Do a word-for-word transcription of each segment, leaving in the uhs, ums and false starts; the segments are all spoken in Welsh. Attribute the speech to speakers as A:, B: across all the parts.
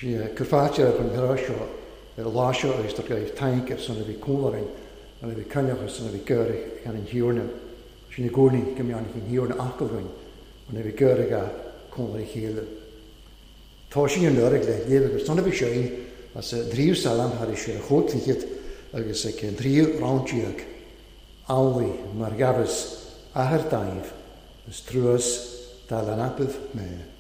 A: Cwrffatir ar an seo ar lá seo agus tar gaibh tainc ar son a bhí cúlarainn an a bhí coinneach son a bhí geurig gan an hiorna. Sin i gcónaí go mbeann an hiorna acalgainn an a bhí geurig a cúlar a chéile. Tá sin an lorg le léamh agus son a bhí séin as a dtríú salam thar sé a chótlichiad agus ag an dtríú roundíag amhlaidh mar ghabhas athair daimh is truas dá leanapaibh mé.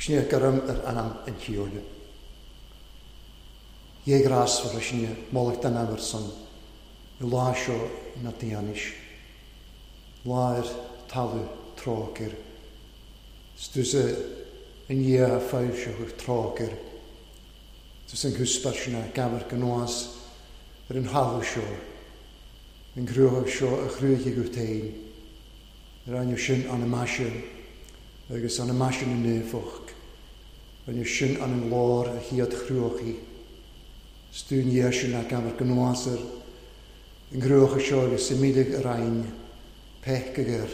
A: Sin garam ar anam an tíorne. Dhé grásfar a sinne molacht an amar son i lá seo na déanis. Lá ar talamh trócair. Stúsa an dhia a foilseach trócair. Tús an cúspar sinna gabhar gnáas ar an thalamh seo. An cruach seo a chrúigh go féin. Ar ainne sin an maise agus an maise na naomhach. Rinne sin an an lár a chiad chruachaí. Stún dhé sin a gabhar gnáas ar an gcruacha seo agus simídig ar ain peiceagar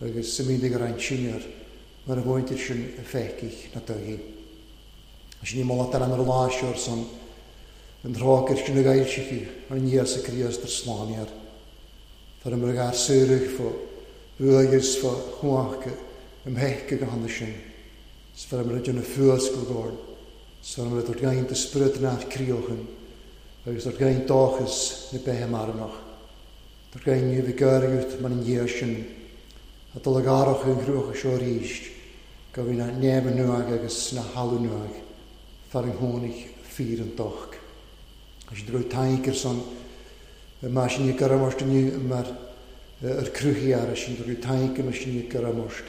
A: agus simídig ar ain sinnear mar a bhaintear sin a feicich na tugaí. Sin í molat ar an ar lá seo ar son an trócair sin a gailsichi an Íosa Críost ar slániar. Far am ar saoradh fo bhuaigis fo chuacha am heice go handa sin. Sfar am ar dhéanamh fuascail gord. Sfar am ar gaint y spryd na'r criochyn agus ar gaint dóchas na beithe marnach. Ar gaint ní bhí gairt mar an dhia sin a dul ag arach an chruacha seo arís go bhí na neamh nuag agus na halu nuag far an tháinig fíor an doch. Agus drwy tainc ar son mar sin i garamost inniu mar ar cruthí ar sin drwy tainc mar sin i garamost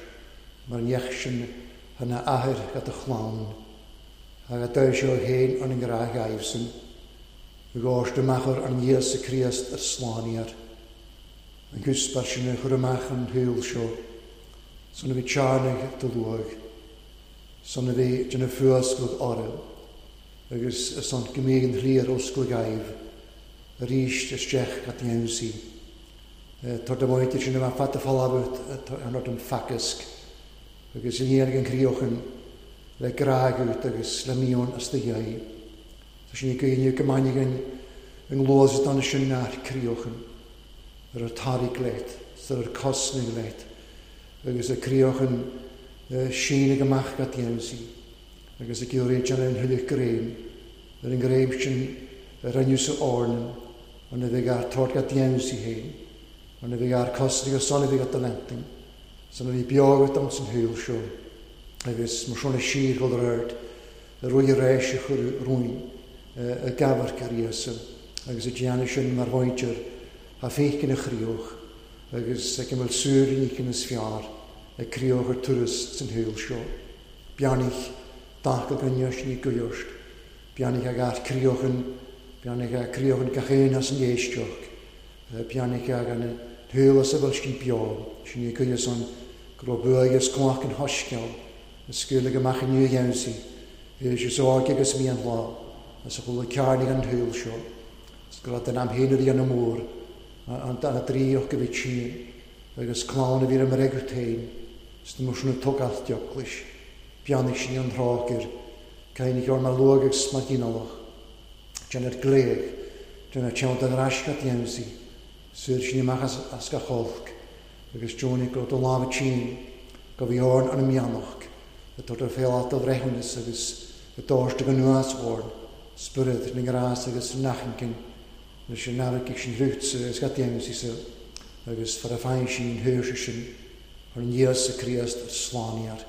A: mar an neach sin hana athair gat a chlann agus dair seo féin an an ngrá gaibhsan i gcóist amach ar an Íosa Críost ar slániar. An cúspar sin a chur amach an shaol seo son a bhí tearnaigh do luaigh son a bhí déanamh fuascail orm agus son go mbíodh an thríar oscail gaibh arís isteach gat dhéansaí. Tar do mhainte sin a fada fálábhat an ort an facasc agus in iarraidh an críochan le grágut agus le míon as do dhéi. Tá sin i gcuimhne go mbainfidh an an glós don sin nach críochan. ar ar tarig leat, ar ar cosnaigh leat, agus a críochan síneadh amach go dtéann agus ag iarraidh déanamh an thuilleadh greim, ar an greim sin a rinneadh sa áirneán, an a bheidh ar tabhairt go dtéann sí féin, an a bheidh ar cosnaigh ar son a bheidh at lenting, san a bhí beo agat ann san shaol seo, agus mar sin a síor dhul ar aird, a rui ar ais a chur rúin, a gabharc ar Íosa, agus a déanamh sin mar mhuintir, a féiceann a chríoch, agus ag an bhfuil súil in íceann is fearr, ag críoch ar turas san shaol seo. Beannaigh dacail go ndeis ní goirt, beannaigh ag art críochan, beannaigh ag críochan gach aon as an éisteach, beannaigh ag an shaol as a bhfuil sin beo, sin ní goirt san go raibh bua agus cumhacht an shoiscéal, a scaoileadh amach inniu a dhéansaí, is óg agus mian lá, as a chuala cearnaigh an shaol seo, is go raibh den am féin a bhí ana mór, an an dríoch go bhí tinn, agus clann a bhí ar mreagadh féin, is na muisne tugalt deoclais, beannaigh sin an trácair, cainigh ar mar luag agus mar ghinealach, déanamh gléag, déanamh teann den raisce dhéansaí, suir sin amach as, as gach olc, agus deonaigh go raibh do lámha tinn, go bhí orn an mheannach, a tabhairt ar féal do bhreithiúnas agus a dóirte go nuas orn, spiorad na ngrás agus na nachinkin, leis an naimhc sin rútsa agus gach dhéansaí sa, agus far a fáin sin thuirse sin, ar an Íosa Críost ar slánaíar.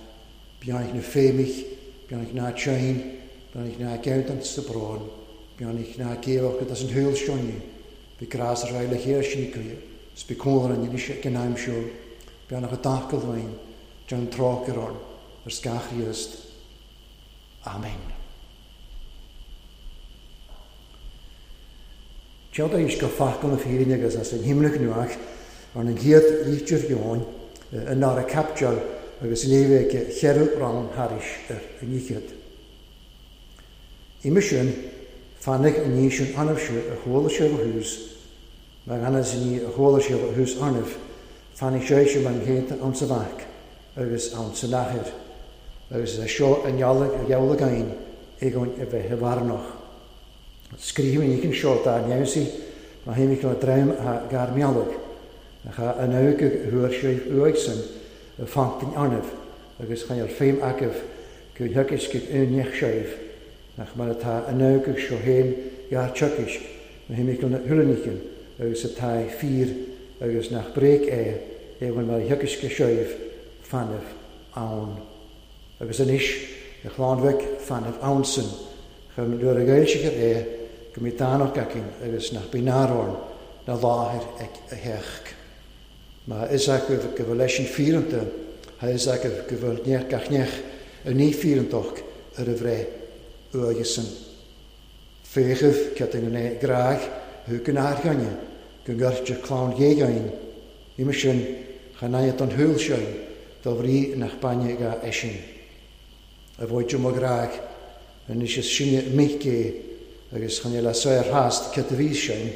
A: Beannaigh na féimich, beannaigh na tsein, beannaigh na gceann sa brón, beannaigh na géabhach as an shaol seo, bhí grás ar aghaidh le chéile sin cuie, is bí cónair an inis ag an aim seo, beannaigh a dtacail bhain, déan trácair orn, ar scach Chríost. Amen. Tead éis go facal na fírinne agus as an himlach nuach ar an gcéad lítear dheoin in ára capteal agus léibh ag cheithre rann thairis ar an oíchead. Uime sin, fanaigh an ní sin anamh-se a chuala sé ó thús, mar ganas ní a chuala sé ó thús anamh, fanaigh sé sin mar an chéanta ann sa bhac agus ann san athair, agus é seo a ngealladh a gheall againn éagoin a bheith i bhfarnach. Scríobh an íceann seo dá neamhsaí má théimid le dream a gairmealach, ach a an go thuair sé uaidh san a fantain anamh agus chain ar féim agaibh go theagasc go aon séibh, nach mar atá an go seo féin gar teagasc má théimid le thuilleaníceann agus atá fíor agus nach bréag é éagoin mar a theagasc go séibh fanamh ann. Agus anois a chlann mhic fanamh ann san, chun nuair a ghaeilsigear é go mbí dánach againn agus nach bí náróin na láthair ag a theach. Má is agaibh go bhfuil leis an fíoranta, ha is agaibh go bhfuil neach gach neach a ní fíorantach ar a bhreith uaidh san. Féachaibh cead an gné gráig thu go n-airghaine go ngairtear clann ghéagain, uime sin chan aidhe don shúil sin dá bhrí nach bainne ga eisin. A bhfuil mo gráig anois is sinne mic é agus chan le saor theast cead a bhí sin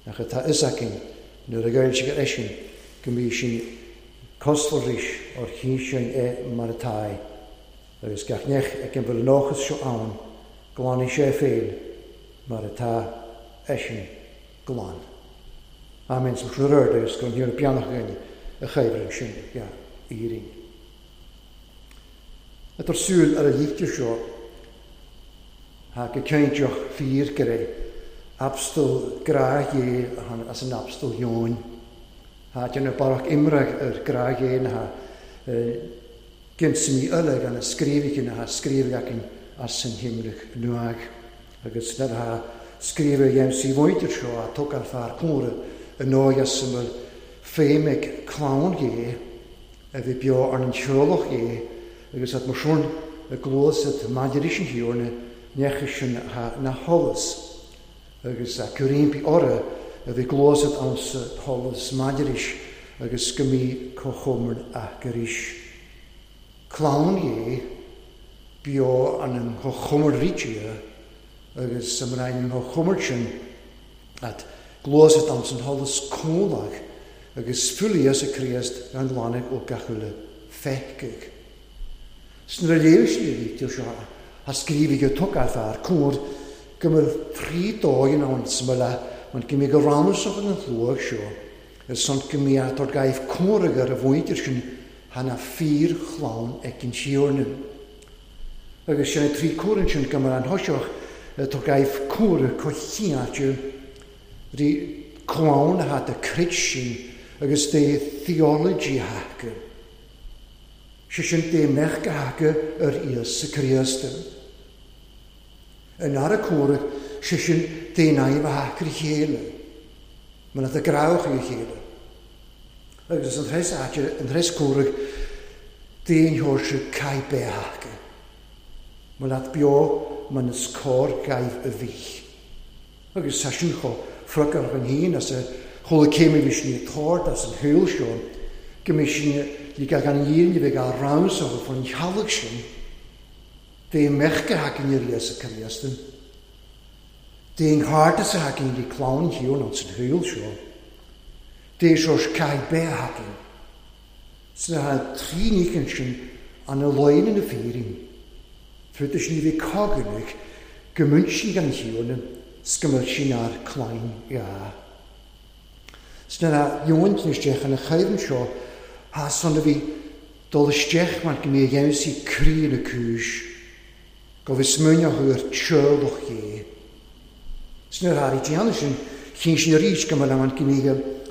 A: nach atá is againn nuair a ghaeilsigear eisin go mbí sin cosmharis ar chinn sin é mar atá é. Agus gach neach ag an bhfuil an nóchas seo ann, glanfaidh sé féin mar atá eisin glan. Amen. Sa rud agus go ndéanfaidh beannach againn a chaibhreann sin ga Éirinn. Atar súil ar a lítear seo, ha go ceintreach fíor go raibh abstal grá dhé as an abstal dheoin. Ha déanamh barrach imreach ar grá dhé na ha ginsaí uilig an a scríobhaigh na ha scríobhaigh againn as an himlach nuaigh. Agus na ha scríobhaigh dhéansaí mhuintir seo a tógáil fear córa a nóigh as an bhfuil féim ag clann dhé a bhí beo ar an teolach dhé agus at mar sin a gluas at maidir sin thiúrna necha sin ha na holas agus a cuirimpi orra a bhí gluas at ann sa holas maidiris agus go mí comhchomhair a gairis. Clann dhé beo an an chomhchomhair ríte agus sa mbrain an chomhchomhair sin at gluas at ann san holas cónach agus fuilias a Críost gan glanadh ó gach uile feicigh. Sna léir sin a bhí seo a scríobhaigh go tugadh fear cóir go mbeadh trí dóigh ann sa mbaile an go mbeidh go rannúsach an chluach seo Ar son go mbíodh tor gaibh comhraidh ar a mhuintir sin thá fíor chlann ag an Tiarna. Agus sin trí comhrainn sin go mar an thoiseach tor gaibh comhraidh coitcheáite rí clann atá de crid sin agus de theology haca. Sé sin de mheach haca ar Íosa Críost. An ara comhraidh sé sin de naimh a haca a chéile. Mar atá grách a chéile. Agus an threis áite, an threis comhraidh, d'aon thóirse caith beatha. Mar leat beo man is cóir gaibh a bhí. Agus tá sin chomh fruchar an híon as a chuala céim a bhí sin ag tabhairt as an shaol seo, go mbeidh sin le gan fhírinne bheith á ramsódh faoin theallach sin, d'aon mheach a thagann ar Íosa Críost, d'aon chairdeas a thagann le clann Shíón an san shaol seo, d'aon sórt caith beatha a thagann. Sna trí níochán sin an a loin na fírinne, fud is ní bhí coganach go múinsin gan Shíón 's go mbeadh sin ar chlainn dhá. Sna dheoin isteach an chaimh seo thá son a bhí dul isteach mar go mbí a dhéanamh croí na cúis, go bhí smaoineach ar teolach dhé. Sna tháinig déanamh sin chinn sin arís go mbeadh an go mbí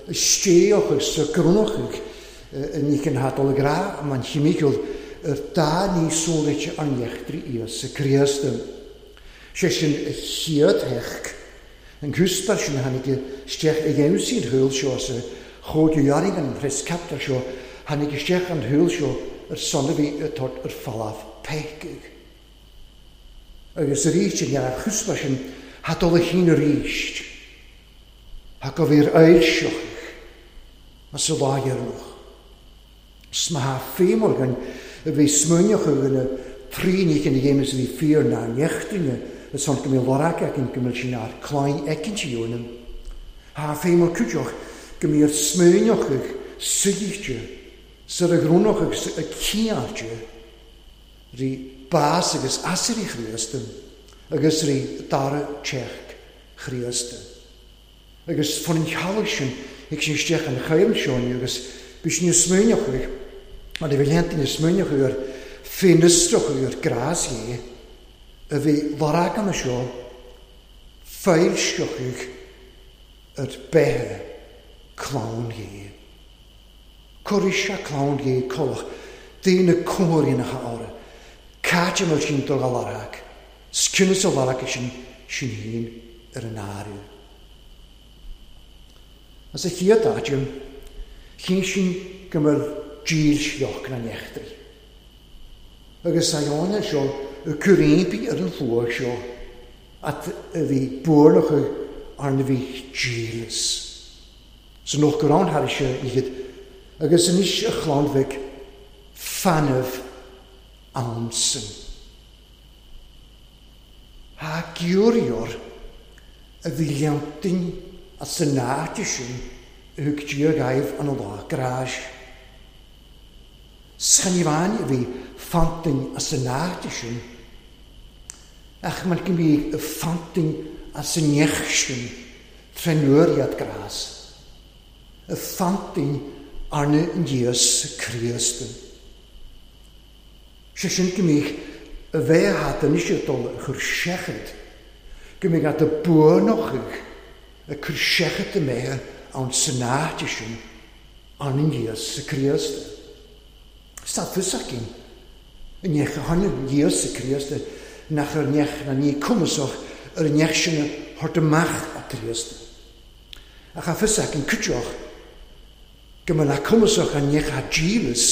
A: isteach sa gcrónach ní cin thá dul ag rá man chimiciúil ar dá ní sólaite an neachtraí Íosa Críost. Sé sin a chéad theach an cúspar sin tháinig isteach a dhéanamh an shaol seo sa chóid dhearg an threis captar seo tháinig isteach an shaol seo ar son a bhí ag tabhairt ar falamh peacaigh. Agus arís an ar chúspar sin thá dul a chinn arís. Thá go bhí ar ailseach as a lá deireanach. 'S má thá féimhar againn a bhí smaoineach againn trí níochán a dhéanamh a bhí fíor ná neachtaine a son go mbíodh lorg againn go mbeadh sin ar chlainn éicint a dhéanamh. Thá féimhar cuideach go mbíodh smaoineach ag suidhte sar a ghrúnach agus a ciáilte rí bás agus asairí Chríost agus rí dara teach Chríost. Agus fan an chealach sin ag sin isteach an chaimh seo agus bhí sin smaoineach ag mar a bhí léanta na smaoineach ar féinistrach ar grás dhé a bhí lorg an seo foilseach ar beithe clann dhé. Cuirfidh sé clann dhé colach daoine comhairíonacha orthu. Caite mar sin dul a lorg, sciúnas a lorg sin sin féin ar an áireamh. As a chéad áit, chinn sin go mbeadh dílseach na neachtraí. Agus a dheoin seo y cwrympi ar an llwag seo at a bhí buarnach arna bhí dílis. So noch go raibh thar sé iad agus anois a chlann bheag fanamh ansan. Thá giúrior a bhí leantain as an áit sin a thug Dia gaibh an lá gráis. Schanníomháin a bhí fantain as an áit sin, ach mar go mbí a fantain as an neach sin trenuair iad grás, a fantain arna an Dias Críost. Sé sin go mbí a bheith hat anois ag dul a chur seachad, go mbí at a buanochaidh a chur seachad a mbeithe ann san áit sin arna an Dias Críost. Tá fios againn i neach a tháinig Íosa Críost nach ar neach na ní cumasach ar an neach sin a thabhairt amach a Críost. Ach tá fios againn cuideach go mbeadh na cumasach an neach a dílis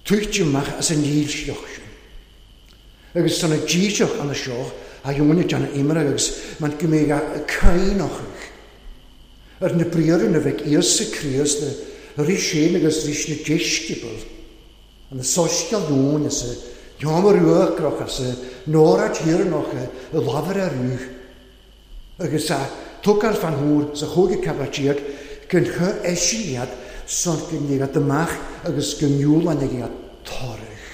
A: tuichte amach as an dílseach sin. Agus tá na dílseach anna seo a dheonaigh deanna imre agus man go mbeidh a cainneach ar na briathra a bheidh Íosa Críost rís sin agus rís na deisceabal an na soisceal dúin as a sheomra uachtarach as a nóra tíreanach a lámhair ar rúth agus a tugáil fan thuar sa chúige cabatíoch go chu eisin iad son go ndéanadh amach agus go ndiúlann iad toradh.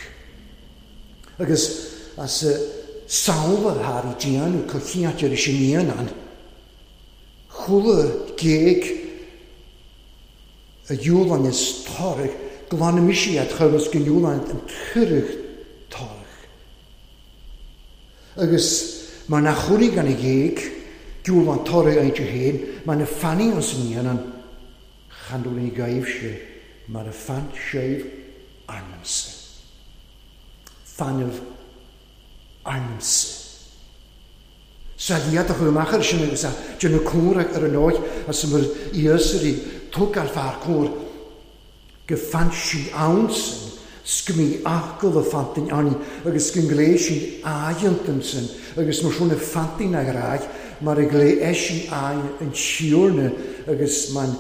A: Agus as a samhla thar i déanamh coicíocht ar sin íon an chuala géag Y iwlan is torach, glanamisiad chymys gan iwlan yn tyrach torach. Agus mae na chwri gan y geg, iwlan torach ein ti hen, mae na ffani ons yn un an chandwl i gaif si, mae na ffan seif arnamse. Ffanaf arnamse. Sa liad a chwymach ar sin agus a dyn y cwr ar y noeth a sy'n myr iasr i twg ar ffa'r cwr gyffansi awnsen sgmi agol y ffantin ani agus gyngle si aiantymsen agus mae siwn y ffantin ag rhaid mae'r egle esi ai yn siwrna agus mae'n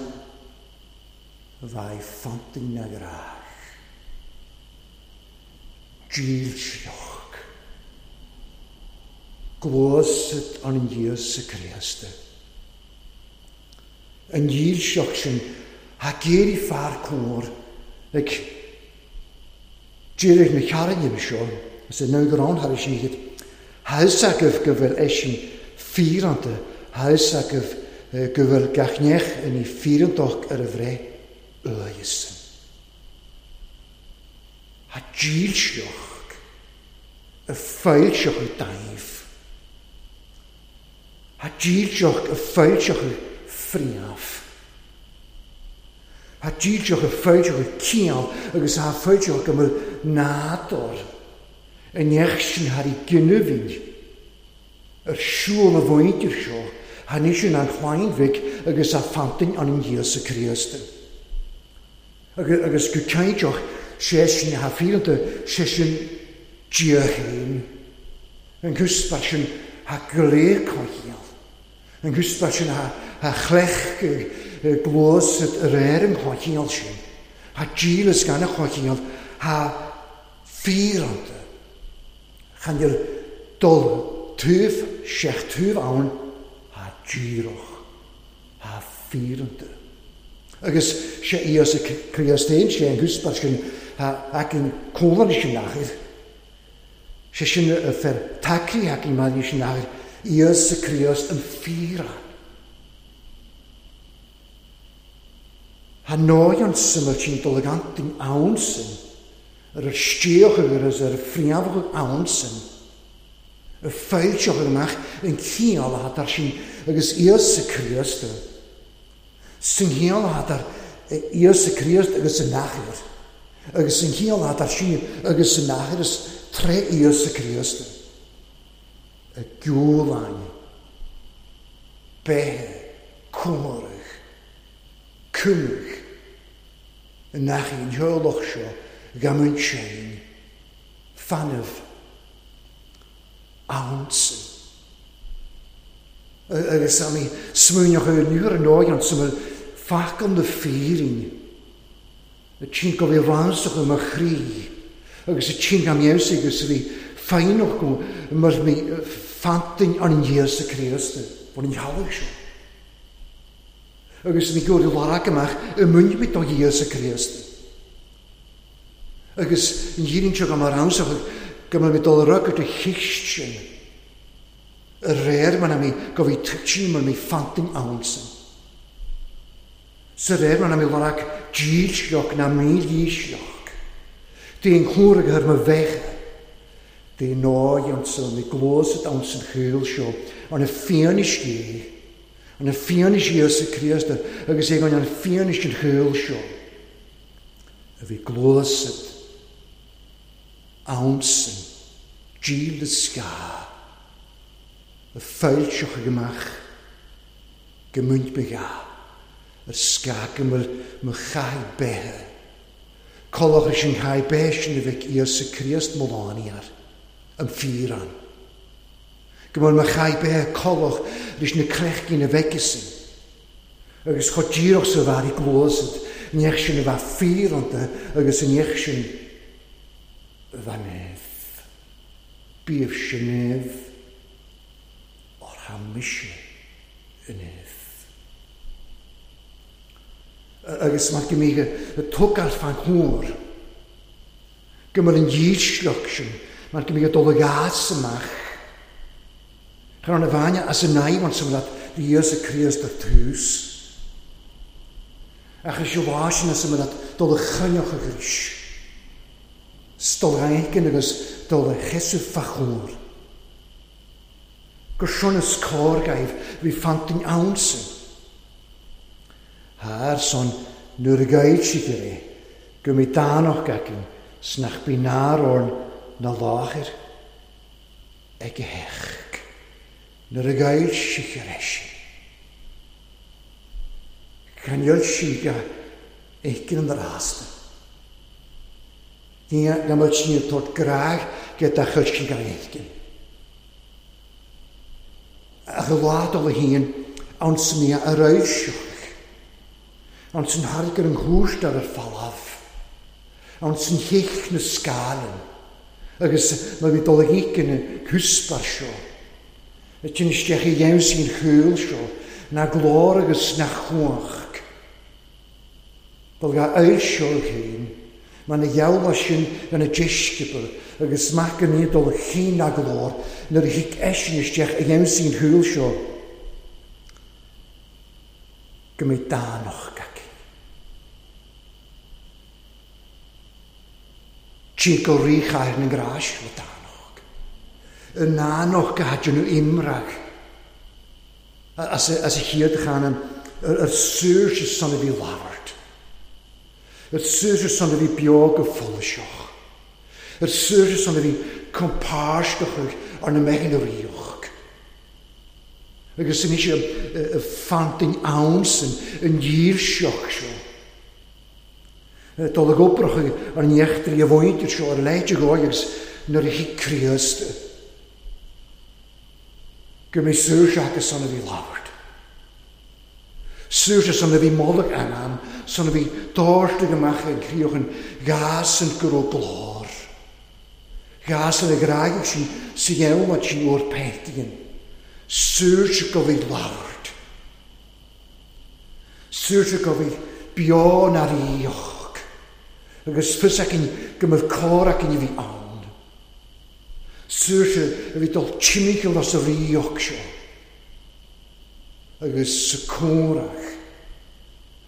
A: ddau ffantin ag rhaid. Gilsioch. Glosad an an Iesu Christe. An dhílseach sin ha géirí fear cór ag deireadh na cearrainne seo is é ná go rán thar siad ha agaibh go bhfuil eisin fíoranta ha agaibh go bhfuil gach neach in í fíorantach ar a bhreith uaidhesan. Ha dhílseach a foilseach y daif. Ha dílseach a foilseach friaf. Ha dílseach a foilseach ciall agus ha foilseach go bhfuil nádúr yn neach sin har i gynnwfyn yr siŵl y fwyntir seo ha nisyn an chwainfig agus a ffantin an an Iesu Christ. Agus go cainteach sé sin ha fíoranta sé sin Dia féin. An gwsbar sin ha glé cohial. An gwsbar sin ha, ha chlech glós yr er yn cohial sin. Ha gilys gan y cohial ha fíoranta. Chan i'r dol tŵf, siech tŵf awn, ha gíroch, ha fíoranta. Agus sé Iesu Christ ein sé an gwsbar sin ha ac yn cólan sin nachir. Sé sin y fer tacri ac yn ma'n sin nachir. Iesu Christ yn fíran. Ha noion syml sy'n dolygantin awn sy'n yr ystíoch agus yr ffriafach awn sy'n y ffeilsioch ymach yn ciol a hadar sy'n agus Iesu Christ sy'n ciol a hadar Iesu Christ agus yn nachir agus sy'n ciol a hadar sy'n agus yn nachir ys tre Iesu Christ y gwlain behe cwmorach cymrych yn nachir yn hyrloch sio gamyn sein ffanaf awnsen. Agus am i smwynioch o'r nwr yn oed ond syml ffacon dy ffeirin y ti'n gofio ransach ym y chri agus y ti'n gam Iesu agus fi ffeinwch go mae'r mi ffantin an yn Iesu Christ fod yn halach sio. Agus mi gwrdd i larag ymach y mynd byd o Iesu Christ. Agus yn hyn sio gam ar amser gam mi dol rygwyd y chist sin. Y reir ma'n am i gofi tytsin ma'n mi ffantin awnsen. Sy reir ma'n am i larag dílsioch na mílísioch. Dyn chlwr ag yr my fecha. Dyn noi ansan mi glosad ansan chwyl sio. Ond y ffianis i. Ond y ffianis Iesu Christ agus ag an ffianis yn chwyl sio. A fi glosad awnsen díl y sga y ffeilsioch ag ymach gymwynt byga yr sga gymwyl mychau behe coloch ys yng nghau behe sy'n y Iesu Christ molani ar ym ffyran gymwyl mychau behe coloch rys yn y crechgyn y fegysyn agus chodíroch sy'n far i glosad niech sy'n y fa ffyranta agus yn niech sy'n fanef bif synef o'r hamisio ynef. Agus mae'r gymig y twg ar fan hwyr gymryd yn dhílsioch sin mae'r gymig y dolyg as ymach Chan y fania as y nai wan symlad Iesu Christ y tŵs. Ach is lá sin as a dul a choinneach arís. Dul éigin agus dul a sheasamh fá chomhair. Gur sin is cóir gaibh bhí fantain ansin. Thar son nuair a ghaibh siad ar é, go mbeidh dánach againn 's nach bí náir orn na láthair ag a theach. Nuair a ghaibh siad ar eisean. Chainneáil sí go éigin an rásta. Ní na mbeadh sí ag tabhairt grá go dá chuid sí go éigin. Ach i lá dul a haon, ann san í a raibh seoch. Ann san thairg ar an chúirt ar ar falamh. Ann san thich na scáileann. Agus má bhí dul ag éigin an cúspar seo. A tinn isteach i dheimhsí an chúil seo, na glór agus na chuach. Bhuel ga oil seo féin, mar na gheall sin gona deisceabail agus mac an ní dul chinn na glór nuair a thig eisean isteach i dheimhsí an chúil seo. Go mbeidh dánach aici. Timpeall ríchathair na ngrás le dánach. Y nánach go haidin nhw imrag. As a, as a chéad chanann, yr saoirse san a bhí labhairt. Yr saoirse san a bhí beo go foilseach. Yr saoirse san a bhí compáisteach ar na meithin a ríoch. Agus san isio y ffantin awnsan yn dhílseach seo. Dul ag obrach ar an iechtar i a bhaintir seo ar leid ag agus nuair a thig Críost. Go mbeidh saoirse agus san a bhí labhairt. Saoirse san a bhí moladh anam, san a bhí dóirte amach ag críochan gas an go raibh glór. Gas a ghráigh sin sa gheamhad sin uair peitian. Saoirse go bhí labhairt. Saoirse go bhí beo na ríoch. Agus fios againn go mbeadh cóir againn a bhí ann. Saoirse a bhí dul timpeall as a ríoch seo. Agus sa cónrach.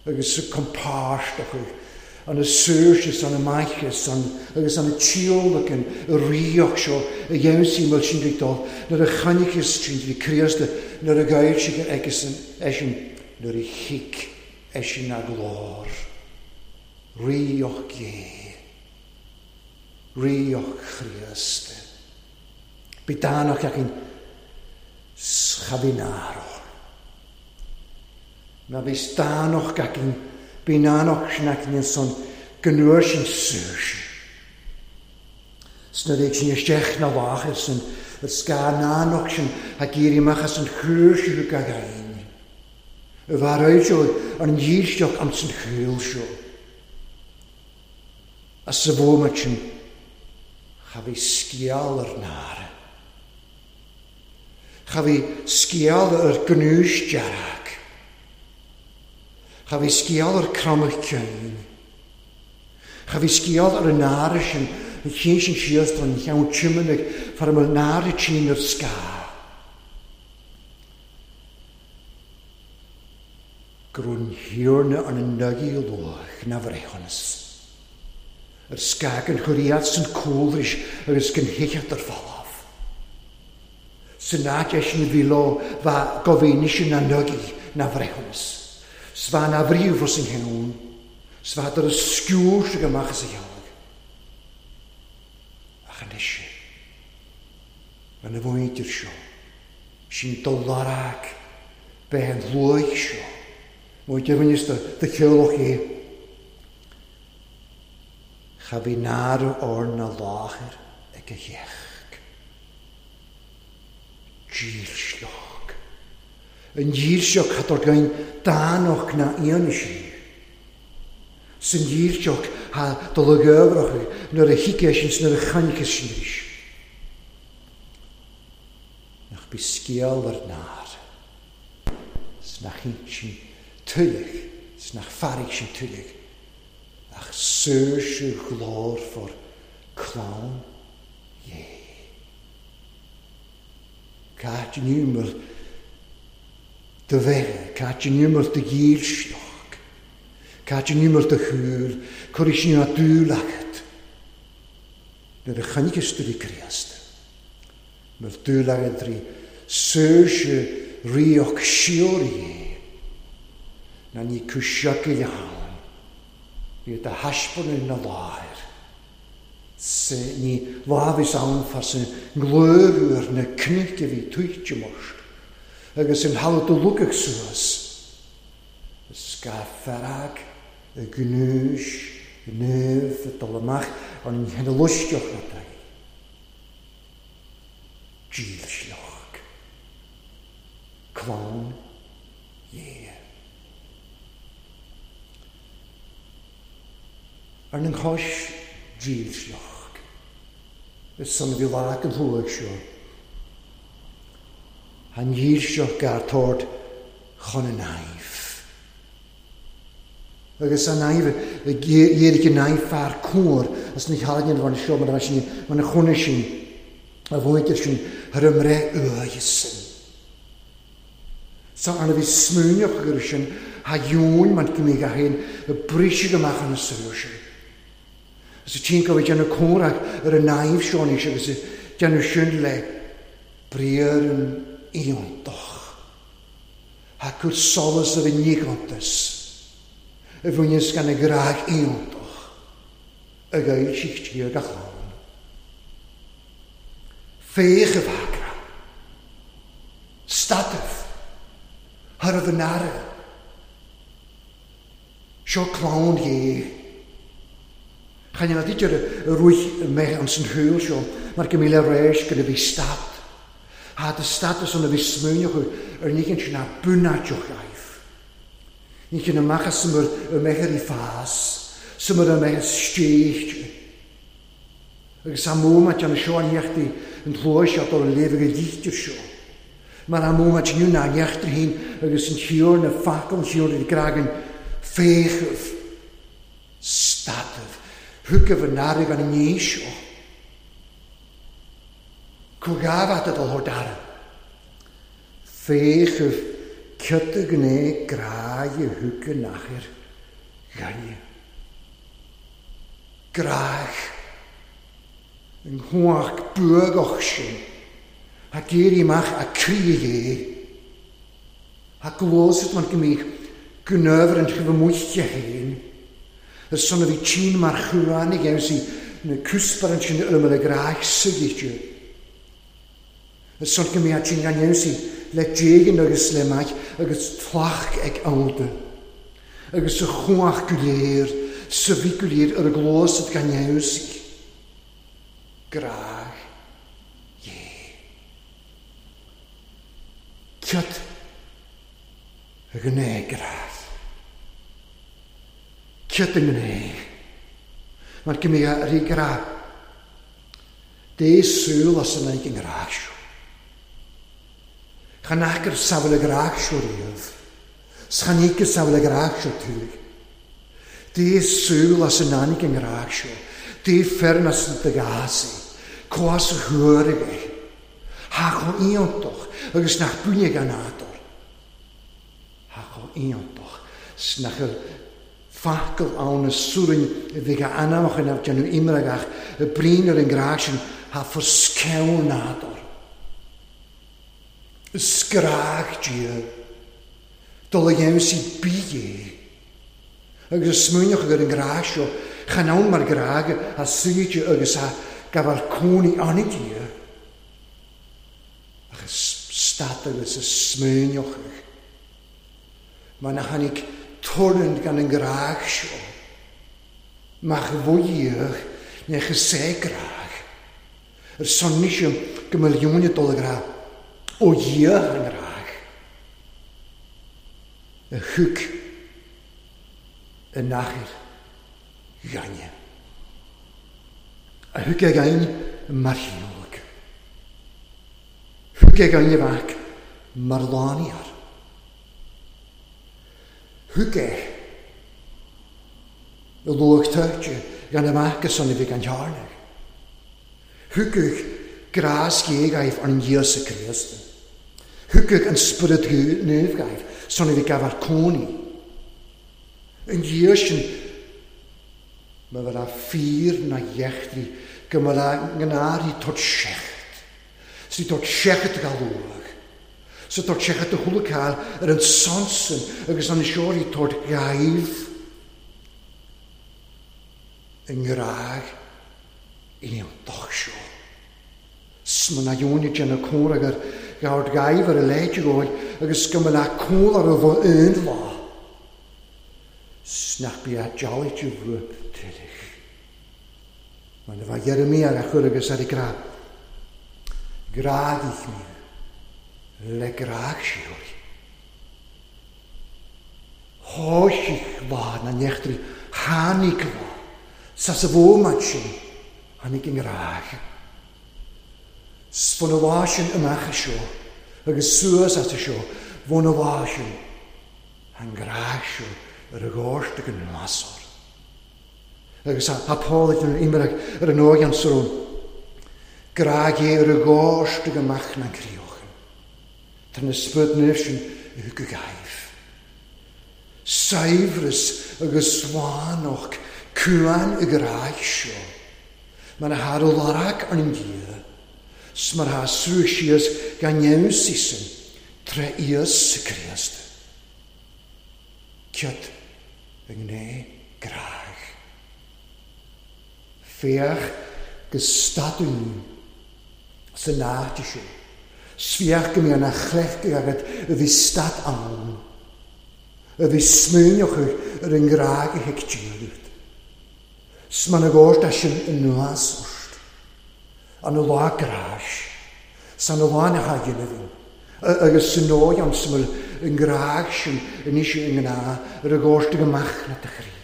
A: Agus sa compáisteach. An y saoirse san y maichas agus an y tíolach an y ríoch seo a dhéansaí mil sin ag dul nuair a chainnechas sin bhí Críost nuair a ghaibh sí agus eisean nuair a thig eisean a glór. Ríoch Dé. Ríoch Chríost. Bhí dánach againn schabináró. Má bhí dánach againn bhí nánach sin againn san gnuair sin saoirse. Sna réig sin isteach na láthair san ar scá nánach sin a géirí amach as an chúirse thug a ghain. A bhar seo ar an dhílseach an san chúil seo. As sa bhómat sin cha bhí sciáil ar nára. Cha bhí sciáil ar gnúis dearg. Cha bhí sciáil ar cromach ceann. Cha bhí sciáil ar an nára sin an chéin sin síos don cheann tiomanaigh far am nára tinn ar scá. Grún thiarna an an nugaí luach na bhreithiúnas. Ar scá an churiad san cúlris agus gan hicheat ar falamh. San áit eisean a bhí leo bha goféine sin na nugaí na bhreithiúnas. Sva na bhríomh an cheann, sva dar a sciúr go amach as a chealg. Ach anois, an a bhaintir seo, sin dul larag, bheith an luaigh seo, má deimhneas do cheolach é. Cha bhí nára or na láthair ag a theach. Dílseach. An dhílseach hat ar gain dánach na aon sí. San dhílseach ha dul a ghabhrach nuair a thig sin nuair a chainnechas sin arís. Nach bí scéal ar náir. 's nach sin tuilleach, 's nach fearraigh sin tuilleach. Ach saoirse ghlór for clann Dhé. Cáit an iúmar do bheithe, cáit an iúmar do dhílseach. Cad in iúmar do shúil, cuirfidh sin a dúil agat. Nuair a chonaiceas tú rí Críost, mar dúil agat rí saoirse ríoch síoraí é, ná ní cúiseachail ann, bhí do thaispeánadh na láthair. Se ní lámhas ann fas an nglór ar na cnoic a bhí tuitte most, agus an thalamh do lugach suas. Is ga fearg y gnúis, y nef, y dul amach, ond yn hyn y lwystioch na dau. Dílseach. Clann Dhé. Ar an chois dílseach. Is son a bhí lá an thuaidh seo. An dhílseach gar tord chun an naimh. Agus an naimh, dhéirigh an naimh fear cóir as na healaíon bhain seo mar a sin mar a chónaí sin a bhuainte sin thar a mbreith uaidh sin. Sa arna bhí smúineach agur sin ha dheoin mar go mbeidh a féin a briseadh amach an saoirse. Agus a tchíonn go bhfuil déanamh comhrac ar an naimh seo anois agus déanamh sin le briathar an iontach. Ha cur solas ar an níochántas a bhaineas gan a ghrá iontach a ghail siad tír gach ann. Féach a bhagra. Stataibh. Thar a bhun aire. Seo clann Dhé. Chan ionad idir a ruaig mé an san shúil seo mar go míle réis go bhí stat. Ha de status an a bhí smúineach ar nícinn sin a bunáiteach aibh. Nícinn amach as mar a mbeidh i fás, sa mar a mbeidh stéichte. Agus a mómat an seo an neachtaí an tlóis seo dul a léamh go lítear seo. Mar a mómat inniu ná neachtar féin agus an tír na facal an tír i gcragan féachamh, stataibh, thugaibh an airg an ní seo. Cógáfat a dul thar dara. Féachamh ciota gné gráig a thug an achair gainne. Gráig. An chuach buagach sin. A géirí amach a croí é. A glósad mar go mbíodh gnöfar an chibh amuigh féin. Is son a bhí tinn mar chuánaigh agus í na cúspar an sin ar a gráig suigite. Is son go mbíodh tinn gan í le déigin agus le maith agus tlach ag áda. Agus sa chuach go léir, sa bhí go léir ar a glósad gan í. Gráig Dhé. Ciot a gné gráig. Ciot a gné. Mar go mbíodh rí grá. Dé súil as an ag an ngrá seo. Chan acair samhail a grá seo riamh. Chan íce samhail a grá seo tuig. Dé súil as an ag an ngrá seo. Dé fearn as an dagasi. Cós a thuairg é. Ha chomh iontach agus nach buine gan nádúr. Ha chomh iontach 's nach facal ann a súrainn a bhí a anamach in déanamh imreagach a brín ar an ngrá sin ha forsceann nádúr. Sgrág Dia, dul a dhéanamh sí bí é. Agus a smuineach ar an ngrá seo, chan ann mar grág a suíte agus a gabháil cónaí ann Dia. Ach is stat agus a smuineach. Mar na tháinig torann gan an grág seo. Mach bhuíoch nech is é grág. Ar son níos go milliúine dul a grá. Ó Dhia an grág. A thug an achair gainne. A thug a gain mar shiúlach. Thug a gainne bhac mar lániar. Thug é a luach tuirte gan amach go son a bhí gan tearnach. Thugadh grás géagaibh ar an Íosa Críost. Thugadh an Spiorad Naomhgaibh son a bhí gabhar cónaí. Yn dhiaidh sin, ma bheith a fíor na dheachtraí go mba le ngnáirí tabhairt seachad. 'S í tabhairt seachad go luath. 'S tabhairt seachad do chuala cáil ar an son sin agus an seoraí tabhairt ghaibh i ngrádh iontach seo. 'S ma na dheonaigh déanamh comhrá gur ghabhairt ghaibh ar a leithéid dhóibh agus go mba le cúl ar a aon lá. 'S nach bí a dealaigh de bhruith tuilleadh. Mar na bheith Jeremia ar a chur agus ar a grá. Grádh mé le grádh siúr. Thoisigh lá na neachtraí tháinig lá. Sa sa bhómat sin tháinig an grádh. 'S bhun a lá sin amach seo agus suas as seo bhun a lá sin an grádh seo ar a ghóirt ag an lasóir. Agus a Paul ag an imirag ar an ógan sarón. Grádh é ar a ghóirt ag amach na críochan. Tá na spud nir sin i go gaibh. Saibhreas agus slánach cuan i grádh seo. Mar a thar larag an Dia. 'S mar ha srúch síos gan neamhsísan tre Íosa Críost. Cead i ngné grádh. Féach go stadún sa náte seo. 'S féach go mbíonn a chlecht agad a bhí stad ann. A bhí smaoineach ar an ngrádh a thuig Dia. 'S mar na gcóirt sin anuas ort. An lá gráis. San lá na haigin bhín. Agus san nóid an smil an grádh sin anois i ngná ar a gcóirt ag amach na do chroí.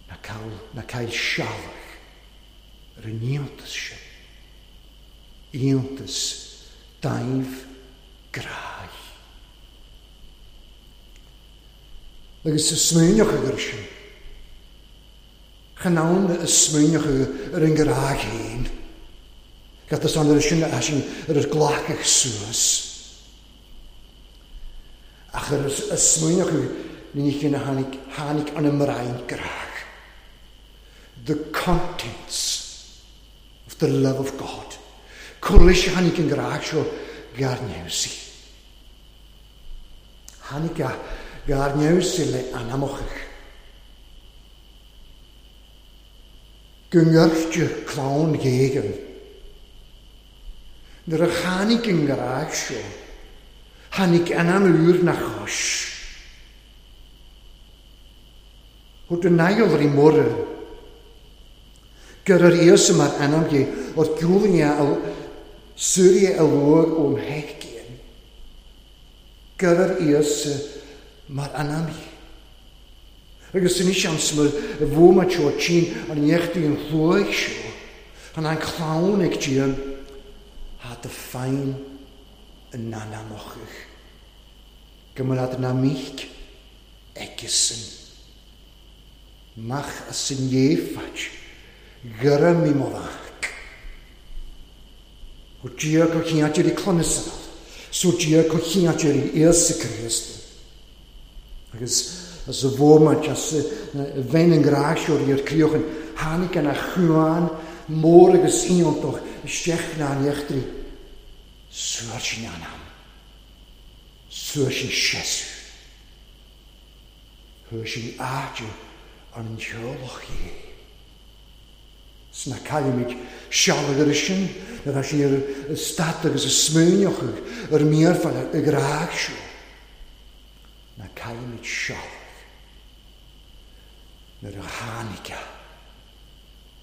A: Na cael, na cael sealach ar an iontas sin. Iontas daimh grádh. Agus sa smaoineach agur sin. Chan ann a smaoineach ar an grádh féin. Gad is an ar sin a sin ar ar glacach suas. Ach ar a smaoineach ní chin a tháinig, tháinig an ymraen grádh. The contents of the love of God. Cwrlis tháinig an grádh seo gar neamhsi. Tháinig a gar neamhsi le anamochach. Go ngirte clann ghéigean. Nuair a tháinig an grádh seo, tháinig anam úr na chois. Thug an aigheal rí mór gur ar Íosa mar anam gé o'r giúlinge a Súria a luag ón heicíon. Gur ar Íosa mar anam gé. Agus san is an smil a bhómat seo tsin an neachtaí an chluaigh seo, an an clann ag Dia, ha do féin yn anamochach. Gymryd na mich eigesan. Mach a sy'n iefach, gyra mi moddach. O Dia go chiadir i clonysaf, so Dia go chiadir i Iesu Christ. Agus as y fómat, as y fein yn grasio i'r criochan, tháinig an a chuan mór agus iontach isteach na an eachtraí. Suar sin anam. Suar sin sesu. Thuair sin áite an teolach é. 'S na caillimid sealbh ar sin, na bheith sin ar stad agus a smaoineach ar míorfáil i grádh seo. Na caillimid sealbh nuair a tháinig a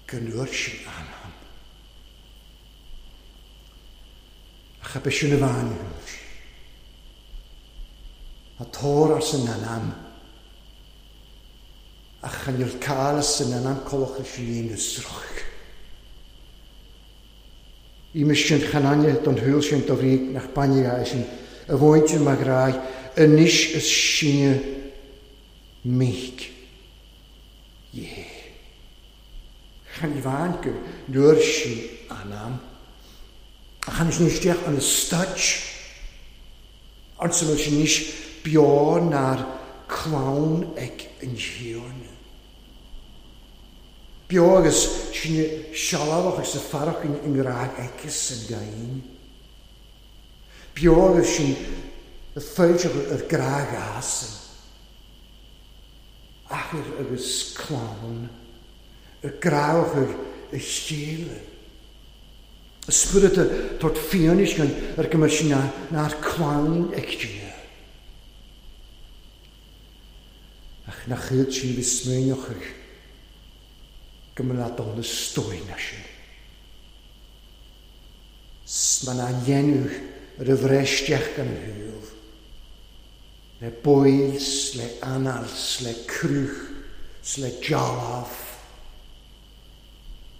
A: go nuair sin anam. Ach a bith sin a bhain thuair. A tór ar san anam. Ach chan i'r cael san anam colach leis an aon ysroch. I mis sin chananne don hwyl sin do bhrí nach bainne a sin a bhaint sin mar ghrá anois is sinne mich. Jé. Chan i bhain go nuair sin anam. Ach chan sin isteach an stad. An sa bhfuil sin níos beo na'r clann ag an Thiarna. Beo agus sinne sealbhach agus ag fearach i ngrá aici san gcain. Beo agus sinn ag fáilteach ar grá ghasan. Athair agus clann ag gráach ar a chéile. Y Spiorad ag tabhairt fianaise againn ar go mbeadh sin nár clann ag Dia. Ach nach iad sin bhí smaoineochaidh go mba leat dul na stóin sin. 'S ma ná dhéanamh ar a bhreith isteach gan shúil. Le baill 's le anáil 's le cruth 's le dealbh.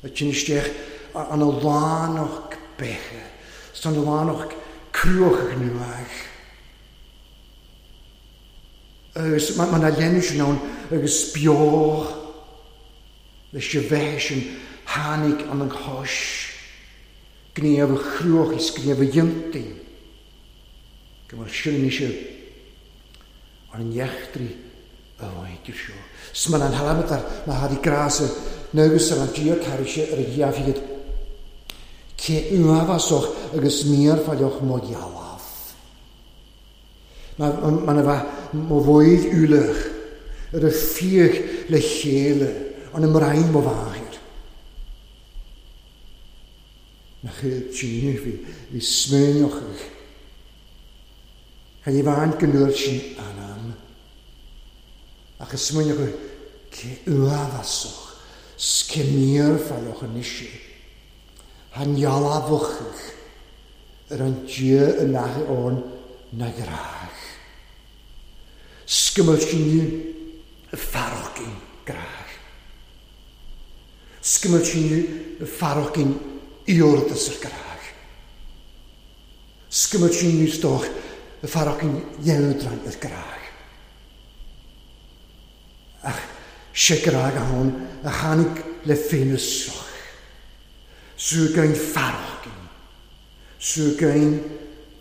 A: A tinn isteach an a lánach beithe, 's an a lánach cruach nuach. Agus ma na dhéanamh sin ann agus beo leis a bheith sin tháinig an an chois, gníomh a chruach is gníomh a dhéantaí, go bhfuil sin anois ar an eachtraí a bhaint seo. 'S mar an halamatar má tháinig grása agus ar an Dia carr sé ar a dheamhiad cé uafásach agus míorfaileach mo dhealbh. Mar a bheith mo bhfuil ualach ar a fiach le chéile an a mbraon mo mháthair. Nach iad sin bhí bhí smaoineochaidh. Chan i bhaint go ndúirt sin anam. Ach is smaoineochaidh cé uafásach 's cé míorfaileach anois é. Han dhealbhachaidh ar an Dia i n-aice ann na ghrách. 'S go mbeadh sin fearachgin grách. 'S go mbeadh sin fearachgin iordas ar grách. 'S go mbeadh sin níos dóch fearachgin dhéandrain ar grách. Ach sé grách ann a tháinig le féin soch. Súgain fearachgin. Súgain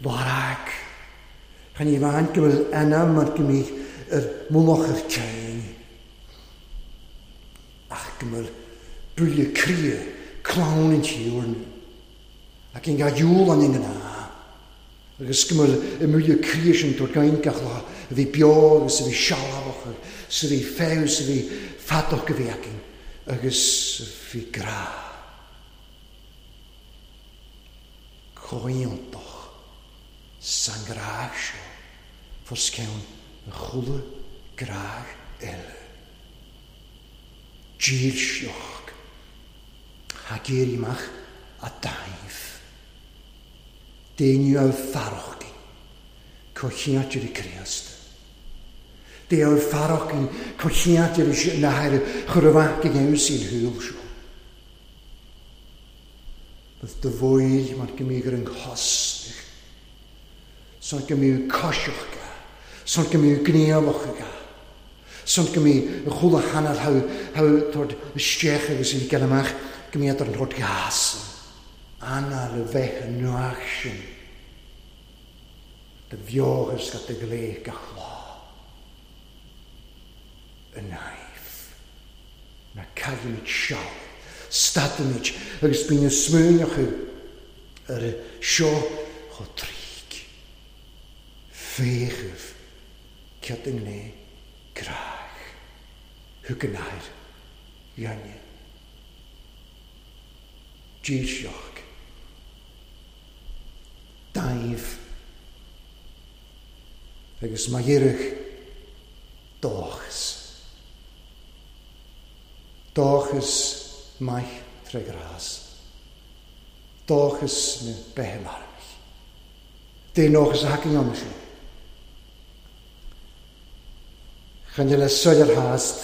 A: lorag. Chan i bhaint go bhfuil anam mar go mbíodh ar mullach ar céin. Ach go bhfuil buille cria clann an Tiarna. Ac in gá dhiúl an ina. Agus go bhfuil i mbuille cria sin tabhairt gain gach lá a bhí beo agus a bhí sealbhach agus a bhí feabhas a bhí fadach a bhí againn agus a bhí grá. Comhaontach san grá seo fós ceann an chuile grá eile. Dílseach ha géirí amach a daimh. Déanú á fearachgin comhcheantar i Críost. Déanú fearachgin comhcheantar i nathair chur amach go gceann sín shúil seo. Bydd dy fwyl mar go mbíodh ar an chosnach. Son go mbíodh coiseach ga. Son go mbíodh gníomhach ga. Son go mbíodh an chuile hanal hau hau tabhairt isteach agus í gael amach go mbíodh ar an tabhairt gas. Anna le bheith an nuach sin. De bheochas go de gléich gach lá. An naimh. Na caillimid seal. Stadaimid agus bíonn smaoineochaidh ar seo chomh tríd. Féachaibh cead an ngné grách. Thug an athair dhéine. Dílseach. Daimh. Agus má dheireadh dóchas. Dóchas maith tré ghrás. Dóchas na beithe marbh. Dé nóchas a thacaíonn ann sin. Chan le soiléir theast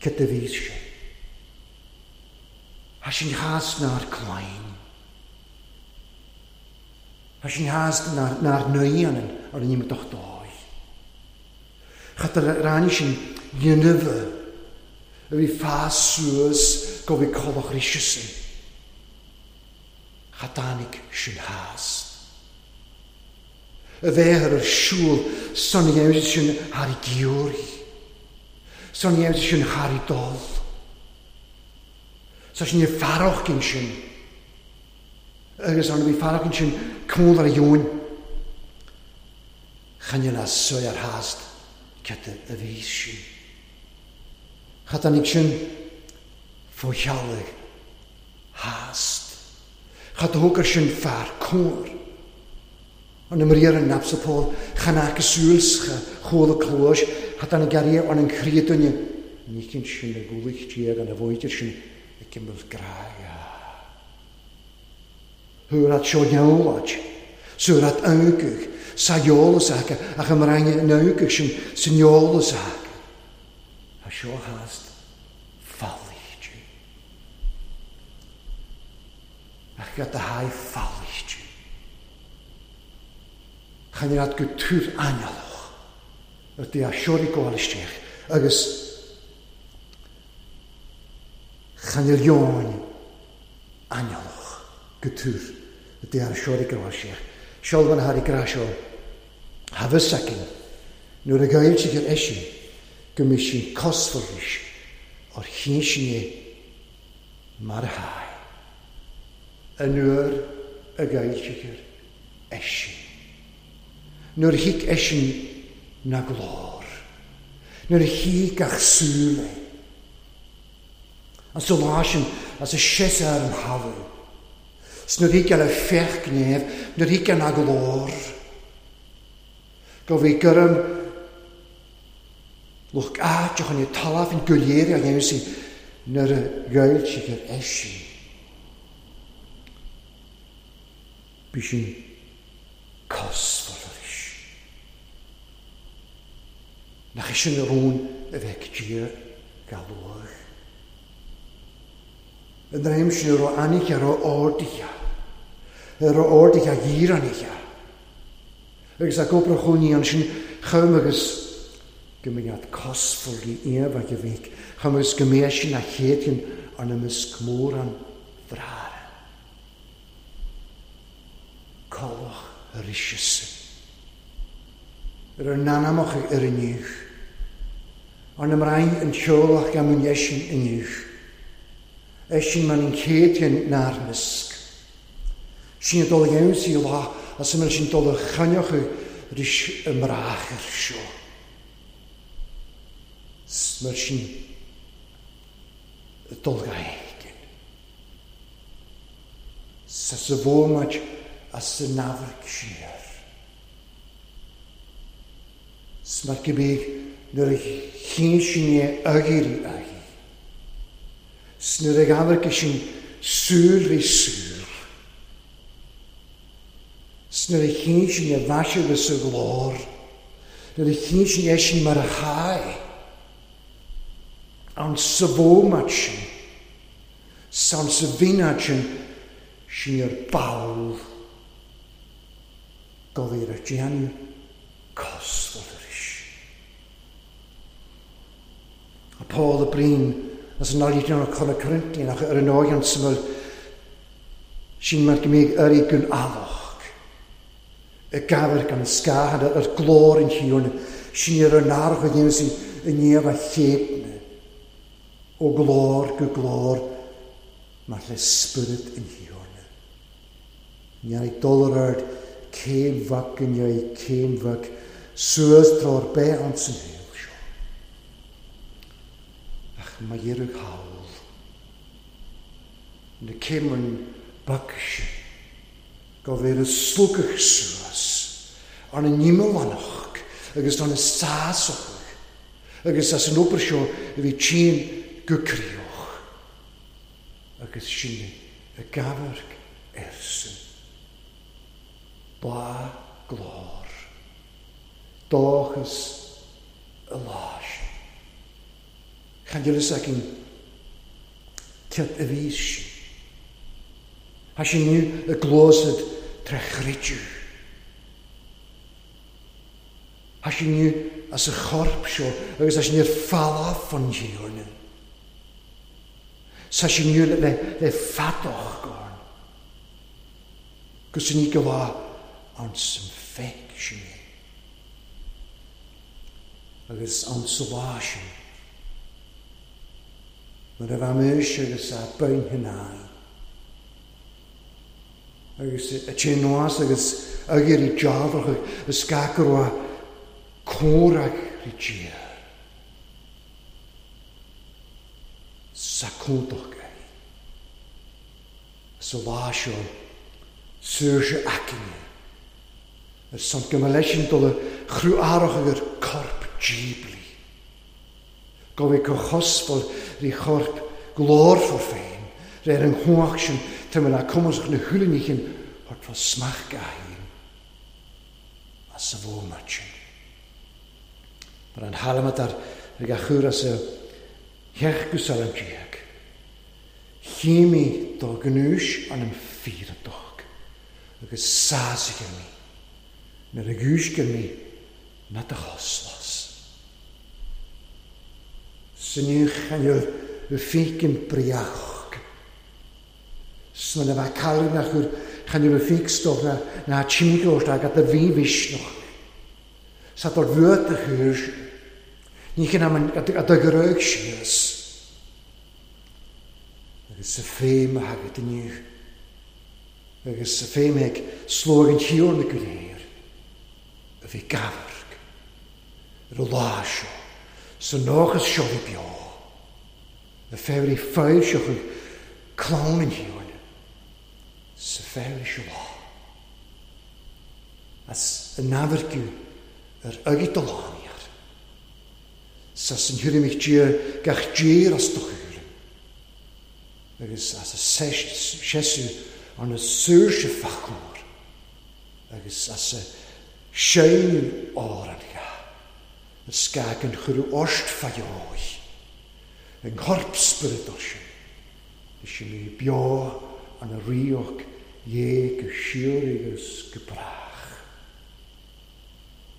A: cad a bhí sé. Tá sin theast nár clainn. Tá sin theast nár nár naíonn ar an imeacht dóigh. Chat a ráinig sin dhéanamh a bhí fás suas go bhí colach ríse sin. Cha dtáinig sin theast. A bheith ar siúl san dhéanamh sin thar i gciúirí. San dhéanamh sin thar i dul. Sa sin fearach cinn sin. Agus an bhí fearach cinn sin cúl ar a dheoin. Chan le soir ar hast cad a bhí sin. Cha tháinig sin fó cheallaigh hast. Cha dtógar sin fear cóir. An imríar an napsa Paul chan aca súilscha chóla clóis cha tháinig ariamh an an chríoduine ní cinn sin a gúlaich déag an a bhóidir sin ag cimil grága. Thuair seo neolad, suair ancaigh, sa eolas aca ach an maraine an ancaigh sin san eolas aca. A seo hast fallaíte. Ach gat a haigh fallaíte. Chan iad go túr ainnealach ar dí a seorí gabháil isteach agus chan il leoin ainnealach go túr ar dí a seorí gabháil isteach. Seolbhan a tharí grá seo tha fhios againn nuair a ghailtigh ar eisin go mbí sin cosmhair ar chinn sin é mar a thaigh. An uair a ghailtigh ar eisin. Nuair a thuig eisin na glór. Nuair a thuig gach súil é. An sa lá sin as a seas ar an thalamh. 'S nuair a thuig le féach gnéamh, nuair a thuig na glór. Go bhí gurm lucht áit chun i talamh an go léir a dhéanamh sí nuair a ghailtigh ar eisin. Bhí sin cosmhair arís. Nach é sin a rún a bheith Dia galúach. An dream sin a raibh aithne a raibh ardaithe, a raibh ardaithe dhíreanaithe. Agus a gcópra chónaí ansin chum agus go mbeadh cosmhair í aon a bheith, chum agus go mbeadh sin a chéadfainn ar na misc mór an bhráthra. Collach arís ar ar n-anamach ar inniu. Ar na mbrain an teolach gan mun eisin inniu. Eisin man an chéadfainn nár misc. Sin a dul dhéanamh lá as a sin dul a chainneocha ris y mrach ar seo. Mar sin dul ga héigin. Sa sa bhómaid as sa nábharc siar. Mar go bíodh nuair a chinn sin é agéirí agí. 'S nuair a ghabharc sin súil rí súil. 'S nuair a chinn sin é bhaise agus sa ghlór. Nuair a chinn sin é sin mar a chaith. An sa bhómaid sin, san sa bhínead sin, sin ar ball go bhí ar déanamh cosmhair arís. A Paul a Breen as an áirítear an Chona Corinthian ach ar an óighean samhail sin mar go mbíodh uirí gun alach. Y gafar gan y sgahan ar glór yn hiwn sin ar an arch o dhéanamh sí i ndiaidh a chéadna ó glór go glór mar le spirit yn hiwn. Ní ag dul ar ard céim bhac yn iau céim bhac suas tráth bheith an san shaol seo. Ach má iarraidh thall na céimeann bac sin go bhfuil a slúcadh suas ar na nímealánach agus ar na sásach agus as an obair seo a bhí tinn go críoch agus sin a gabharc arsan. Ba glór, dóchas a lá sin. Chan fhios againn cad a bhí sin. Tá sin inniu i gclósad tré chreideamh. Tá sin inniu as a chorp seo agus tá sin ar falaf an Thiarna. Tá sin inniu le, le fadach gorn. Gus ní go lá an san feic Sin é. Agus an sa lá sin. Mar a bheith muis agus a bain hináí. Agus a tsin nuas agus agur i dealrach a scacarwa córach ri dia. Sa cúntach é. Sa lá seo saoirse aicine. Ar son go mba leis sin dul a chrú arach agur corp díblí. Go bhí go chosfáil rí chorp glórfar féin, réir an chuach sin tá na cumasach na thuúlaníchin thart fá smach gahéin as sa bhómat sin. Mar an halamat ar ag a chur as a theach go salam déag. Chími dá gnúis an an fíradach agus sásaigh mí nuair a gúisce mí na do choslas. Syniwch aniodd y ffig yn briachog. Sma na bheith cael na chur chaniodd y ffig stoch na na timgóist ag at y fi fysnoch. Sa dod fwyd y chur. Ní chyn am at y grög sias. Agus sa ffeim a hagad yn yw. Agus sa ffeim ag slóg yn hiwr na gwneir. Y fi gafarg. Yr o lá seo. Sa nóchas seo fi bio. Y ffewr i ffeir seo chwi clown yn hiwr. Sa ffewr i seo lá. As y nafargiw yr ygyd o laniar. Sa sy'n hwyr mich dir gach dir as do chwr. Agus as y sesiw an y saoirse fachmór. Agus as y séanú áir an ga. Y sgag yn chwrw orst ffaio'i. Yng nghorp spyryd o'r sin. Ys i mi bio an y rioch ie go siwr agus go brach.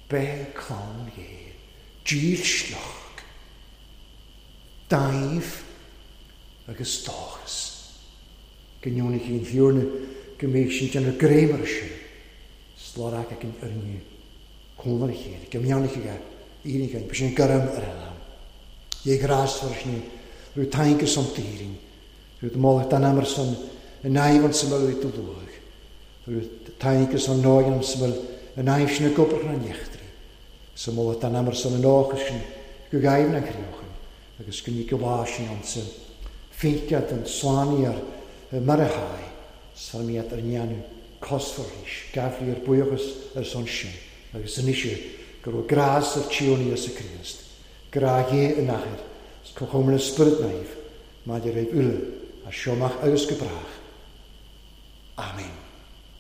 A: Be clown ie, díl slioch, daif agus dóchas. Gynionig i'n hiwrna go mbeidh sin déanamh gréimar sin. Slorach ag an yrniu. Cónar a chéile, go mbeannaigh aige írig an, sin garam ar an am. Ie grásfar sin, rwy'n taingus am dýrin, rwy'n molach dan amr son yn aifon syml o'i dylwg, rwy'n taingus am noen am syml yn aif sin y gobrach na'n iechtri, syml dan amr son yn och sin go gaif na'n criochyn, agus gynnu gywá sin ond sy'n ffeiciad yn slani ar marahau, sarmiad ar nianw cosfar rhys, gafri ar bwyachas ar son sin, agus yn eisiau go raibh grás ar tíónaí as y Christ, gra dhé yn achar, as cochom yn ysbryd naif, maidir raibh uile, a siomach agus go brach. Amen.